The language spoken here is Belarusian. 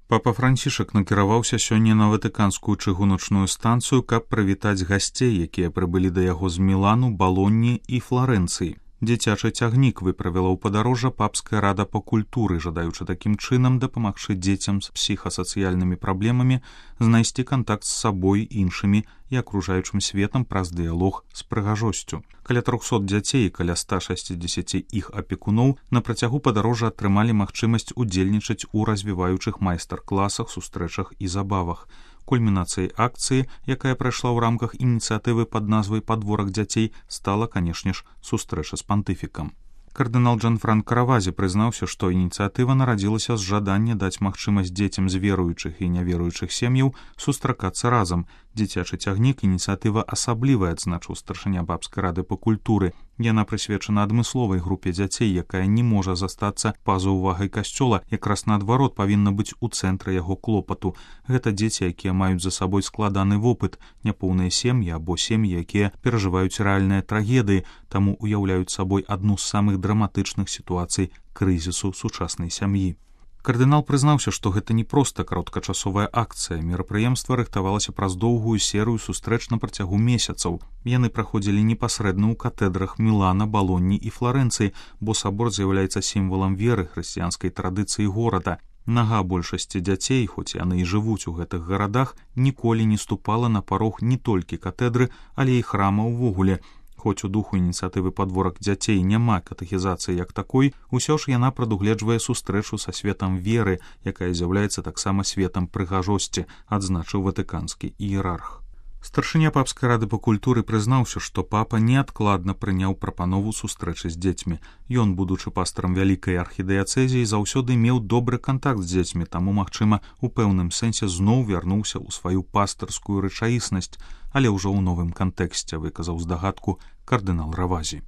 Папа Францішак накіраваўся сёння на ватыканскую чыгуначную станцыю, каб прывітаць гасцей, якія прыбылі да яго з Мілану, Балонні і Фларэнцыі. Дзіцячы цягнік выправіла ў падарожжа папская рада па культуры, жадаючы такім чынам дапамагчы дзецям з псіхасацыяльнымі праблемамі знайсці кантакт з сабой, іншымі і акружаючым светам праз дыялог з прыгажосцю. Каля 300 дзяцей і каля 160 іх апекуноў на працягу падарожжа атрымалі магчымасць удзельнічаць у развіваючых майстар-класах, сустрэчах і забавах. Кульмінацыяй акцыі, якая прайшла ў рамках ініцыятывы пад назвай «Падворак дзяцей», стала, канешне ж, сустрэча з пантыфікам. Кардынал Джанфранка Равазі прызнаўся, што ініцыятыва нарадзілася з жадання даць магчымасць дзецям з веруючых і няверуючых сем'яў сустракацца разам. Дзіцячы цягнік ініцыятыва асаблівая, адзначыў старшыня папскай рады па культуры. Яна прысвечана адмысловай групе дзяцей, якая не можа застацца па-за ўвагай касцёла, якраз наадварот павінна быць у цэнтры яго клопату. Гэта дзеці, якія маюць за сабой складаны вопыт, няпоўныя сем'і або сем'і, якія перажываюць рэальныя трагедыі, таму уяўляюць сабой адну з самых драматычных сітуацый крызісу сучаснай сям'і. Кардынал прызнаўся, што гэта не проста кароткачасовая акцыя. Мерапрыемства рыхтавалася праз доўгую серыю сустрэч на працягу месяцаў. Яны праходзілі непасрэдна ў катэдрах Мілана, Балонні і Фларэнцыі, бо сабор з'яўляецца сімвалам веры, хрысціянскай традыцыі горада. Нага большасці дзяцей, хоць яны і жывуць у гэтых гарадах, ніколі не ступала на парог не толькі катэдры, але і храма ўвогуле. Хоць у духу ініцыятывы «Падворак дзяцей» няма катэхізацыі як такой, усё ж яна прадугледжвае сустрэчу са светам веры, якая з'яўляецца таксама светам прыгажосці, адзначыў ватыканскі іерарх. Старшыня папскай рады па культуры прызнаўся, што папа неадкладна прыняў прапанову сустрэчы з дзецьмі. Ён, будучы пастарам вялікай архідыяцэзіі, заўсёды меў добры кантакт з дзецьмі, таму, магчыма, у пэўным сэнсе зноў вярнуўся ў сваю пастарскую рэчаіснасць, але ўжо ў новым кантэксце, выказаў здагадку кардынал Равазі.